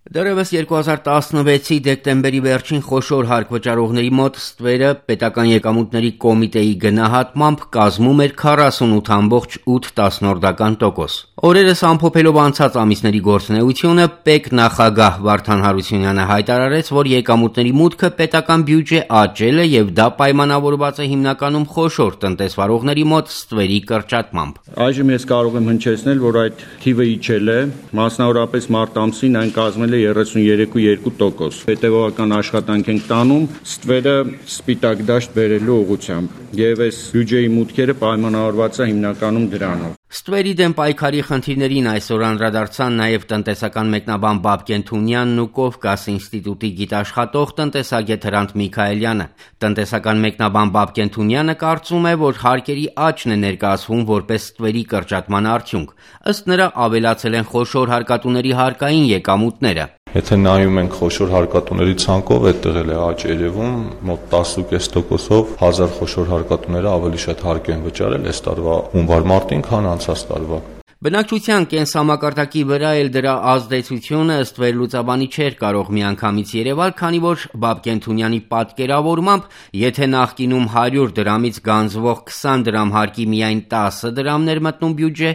Դեռևս 2016-ի դեկտեմբերի վերջին խոշոր հարկ վճարողների մոտ ստվերը պետական եկամուտների կոմիտեի գնահատմամբ կազմում էր 48.8%։ Օրերս ամփոփելով անցած ամիսների գործունեությունը, ՊԵԿ նախագահ Վարդան Հարությունյանը հայտարարեց, որ եկամուտների մուտքը պետական բյուջե աճել է եւ դա պայմանավորված է հիմնականում խոշոր տնտեսվարողների մոտ ստվերի կրճատմամբ։ Այժմ ես կարող եմ հնչեցնել, որ այդ թիվը իջել է, մասնավորապես մարտ ամսին այն կազմել է 33.2%։ Հետևողական աշխատանք ենք տանում ստվերը սպիտակ դաշտ բերելու ուղղությամբ եւ այս բյուջեի մուտքերը պայմանավորված է հիմնականում դրանով։ Ստվերի դեմ պայքարի խնդիրներին այսօր անդրադարձան նաև տնտեսական մեկնաբան Բաբկեն Թունյանն ու Կովկաս ինստիտուտի գիտաշխատող տնտեսագետ Հրանտ Միքայելյանը։ Տնտեսական մեկնաբան Բաբկեն Թունյանը կարծում է, որ հարկերի աճն է ներկայացվում որպես ստվերի կրճատման արդյունք։ Ըստ նրա ավելացել են խոշոր հարկատուների հարկային եկամուտները։ Եթե նայում ենք խոշոր հարկատուների ցանկով, այդտեղ էլ է աճ երևում, մոտ 10.5%-ով 1000 խոշոր հարկատուները ավելի շատ հարկ են վճարել այս տարվա հունվար-մարտին, քան անցած տարվա։ Բնակչության կենսամակարդակի վրա էլ դրա ազդեցությունը ըստ վերլուծաբանի չէր կարող միանգամից երևալ, քանի որ Բաբկեն Թունյանի պատկերավորմամբ, եթե նախկինում 100 դրամից գանձվող 20 դրամ հարկի միայն 10 դրամներ մտնում բյուջե,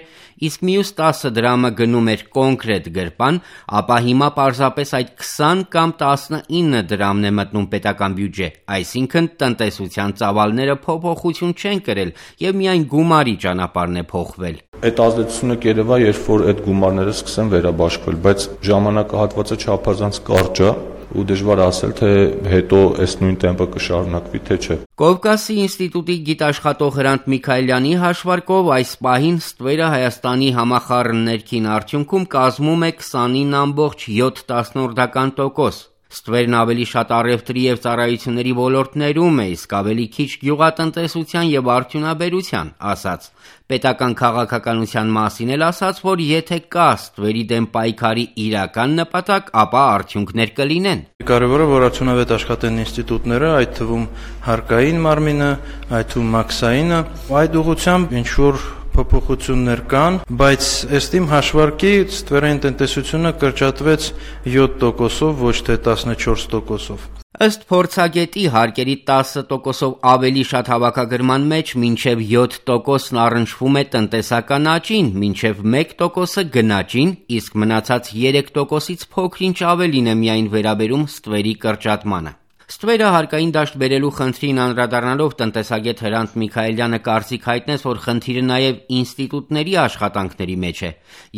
իսկ մյուս 10 դրամը գնում էր կոնկրետ գրպան, ապա հիմա պարզապես այդ 20 կամ 19 դրամն է մտնում պետական բյուջե, այսինքն տնտեսության ծավալները փոփոխություն չեն կրել եւ միայն գումարի ճանապարհն է փոխվել։ Այդ ազդեցությունը կերևա, երբ որ այդ գումարները սկսեն վերաբաշխվել, բայց ժամանակահատվածը չափազանց կարճ է ու դժվար ասել, թե հետո այս նույն տեմպը կշարունակվի, թե չէ։ Կովկասի ինստիտուտի գիտաշխատող Հրանտ Միքայելյանի հաշվարկով այս պահին ստվերը Հայաստանի համախառն ներքին արդյունքում կազմում է 29.7%։ Ստվերն ավելի շատ առևտրի եւ ծառայությունների ոլորտներում է, իսկ ավելի քիչ գյուղատնտեսության եւ արդյունաբերության, ասաց։ Պետական քաղաքականության մասին էլ ասաց, որ եթե կա ստվերի դեմ պայքարի իրական նպատակ, ապա արդյունքներ կլինեն։ Կարևորը որ արդյունավետ աշխատեն ինստիտուտները, այդ թվում հարկային մարմինը, այդ թվում մաքսայինը, այդ ուղղությամբ ինչ որ փոփոխություններ կան, բայց ըստ իմ հաշվարկի ստվերային տնտեսությունը կրճատվեց 7%-ով, ոչ թե 14%-ով։ Ըստ փորձագետի հարկերի 10%-ով ավելի շատ հավաքագրման մեջ մինչև 7%-ն առնչվում է տնտեսական աճին, մինչև 1%-ը գնաճին, իսկ մնացած 3%-ից փոքր-ինչ ավելին է միայն վերաբերում ստվերի կրճատմանը։ Ստվերը հարկային դաշտ բերելու խնդրին անդրադառնալով տնտեսագետ Հրանտ Միքայելյանը կարծիք հայտնեց, որ խնդիրը նաև ինստիտուտների աշխատանքների մեջ է։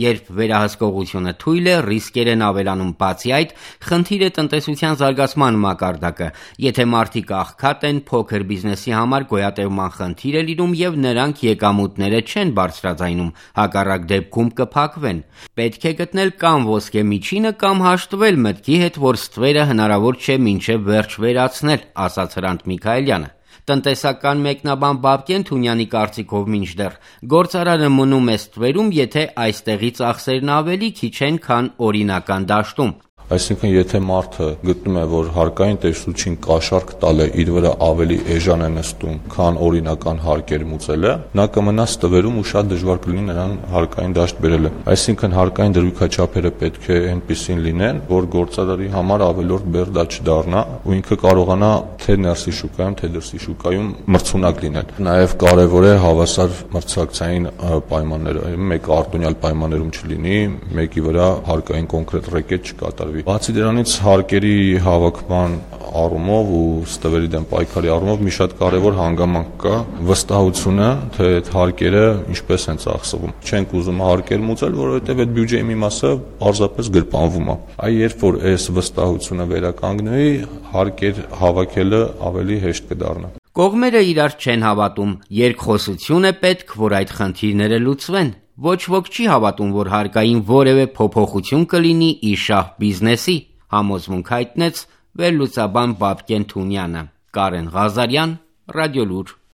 Երբ վերահսկողությունը թույլ է, ռիսկեր են ավելանում, բացի այդ, խնդիր է տնտեսության զարգացման մակարդակը։ Եթե մարդիկ աղքատ են, փոքր բիզնեսի համար գոյատևման խնդիր է լինում եւ նրանք եկամուտները չեն բարձրաձայնում, հակառակ դեպքում կփակվեն։ Պետք է գտնել կամ ոսկե միջինը, կամ հաշտվել մտքի հետ, որ ստվերը հնարավոր չէ մինչև վերջ վերացնել, ասաց Հրանտ Միքայելյանը։ Տնտեսական մեկնաբան Բաբկեն Թունյանի կարծիքով մինչդեռ գործարանը մնում է ստվերում, եթե այստեղի ծախսերն ավելի քիչ են, քան օրինական դաշտում։ Այսինքն, եթե մարդը գտնում է, որ հարկային տեսություն կաշառք տալ է իր վրա ավելի էժան է նստում, քան օրինական հարկեր մուծելը, նա կմնա ստվերում ու շատ դժվար կլինի նրան հարկային դաշտ բերելը։ Այսինքն, հարկային դրույքաչափերը պետք է այնպիսին լինեն, որ գործարարի համար ավելորդ բեռ չդառնա ու ինքը կարողանա թե ներսի շուկայում, թե դրսի շուկայում մրցունակ լինել։ Նաև կարևոր է հավասար մրցակցային պայմանները, մեկ արտոնյալ պայմաններում չլինի, մեկի վրա հարկային կոնկրետ ռեկետ չկատարվի։ Բացի դրանից հարկերի հավաքման առումով ու ստվերի դեմ պայքարի առումով մի շատ կարևոր հանգամանք կա վստահությունը, թե այդ հարկերը ինչպես են ծախսվում։ Չենք ուզում հարկեր մուծել, որովհետև այդ բյուջեի մի մասը պարզապես գրպանվում է։ Այ երբ որ այս վստահությունը վերականգնվի, հարկեր հավաքելը ավելի հեշտ կդառնա։ Կողմերը իրար չեն հավատում, երկխոսություն է պետք, որ այդ խնդիրները լուծվեն։ Ոչ ոք չի հավատում, որ հարկային որևէ փոփոխություն կլինի իշահ բիզնեսի, համոզմունք հայտնեց վերլուծաբան Բաբկեն Թունյանը։ Կարեն Ղազարյան, Ռադիոլուր։